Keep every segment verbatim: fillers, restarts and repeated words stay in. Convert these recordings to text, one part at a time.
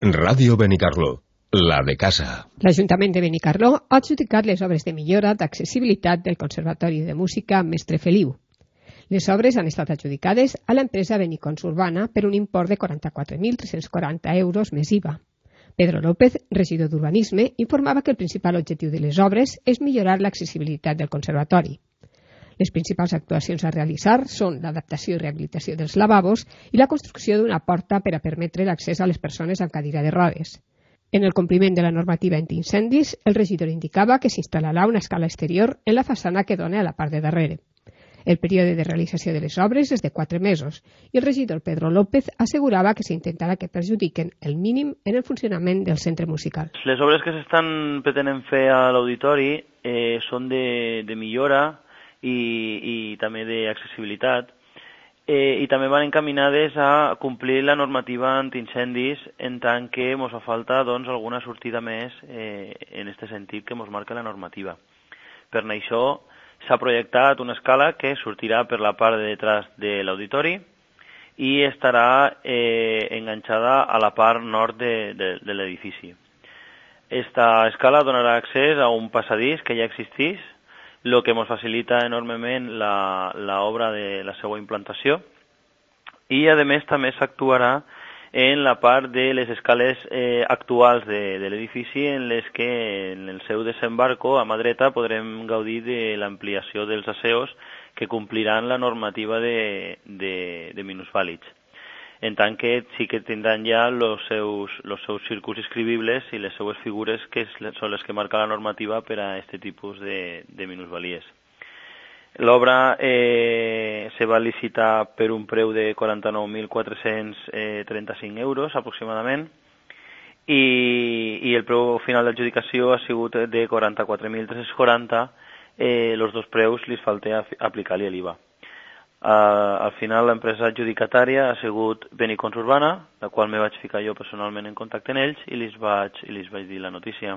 Ràdio Benicarló, la de casa. L'Ajuntament de Benicarló ha adjudicat les obres de millora d'accessibilitat del Conservatori de Música Mestre Feliu. Les obres han estat adjudicades a l'empresa Benicons Urbana per un import de quaranta-quatre mil tres-cents quaranta euros més I V A. Pedro López, regidor d'Urbanisme, informava que el principal objectiu de les obres és millorar l'accessibilitat del conservatori. Les principals actuacions a realitzar són l'adaptació i rehabilitació dels lavabos i la construcció d'una porta per a permetre l'accés a les persones amb cadira de rodes. En el compliment de la normativa antiincendis, el regidor indicava que s'instal·larà una escala exterior en la façana que dona a la part de darrere. El període de realització de les obres és de quatre mesos i el regidor Pedro López assegurava que s'intentarà que perjudiquen el mínim en el funcionament del centre musical. Les obres que s'estan pretenent fer a l'auditori eh, són de, de millora i, i també d'accessibilitat eh, i també van encaminades a complir la normativa antiincendis en tant que ens fa falta doncs, alguna sortida més eh, en aquest sentit que ens marca la normativa. Per això s'ha projectat una escala que sortirà per la part de detrás de l'auditori i estarà eh, enganxada a la part nord de, de, de l'edifici. Esta escala donarà accés a un passadís que ja existeix, el que ens facilita enormement l'obra de la seva implantació i, a més, també s'actuarà en la part de les escales eh, actuals de, de l'edifici en les que en el seu desembarco a mà dreta podrem gaudir de l'ampliació dels aseos que compliran la normativa de, de, de minusvàlids. En tant que sí que tindran ja els seus, los seus circuits inscribibles i les seues figures que són les que marca la normativa per a aquest tipus de, de minusvalies. L'obra eh, se va licitar per un preu de quaranta-nou mil quatre-cents trenta-cinc euros aproximadament i, i el preu final d'adjudicació ha sigut de quaranta-quatre mil tres-cents quaranta, eh, els dos preus li falta aplicar-li l'I V A. Uh, al final l'empresa adjudicatària ha sigut Benicons Urbana, la qual me vaig ficar jo personalment en contacte amb ells i els vaig, i els vaig dir la notícia.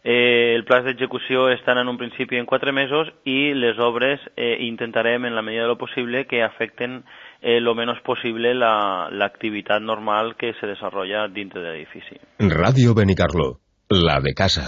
Eh, el pla d'execució estan en un principi en quatre mesos i les obres eh, intentarem en la medida de lo possible que afecten eh, lo menos possible l'activitat normal que se desarrolla dintre de l'edifici. Ràdio Benicarló, la de casa.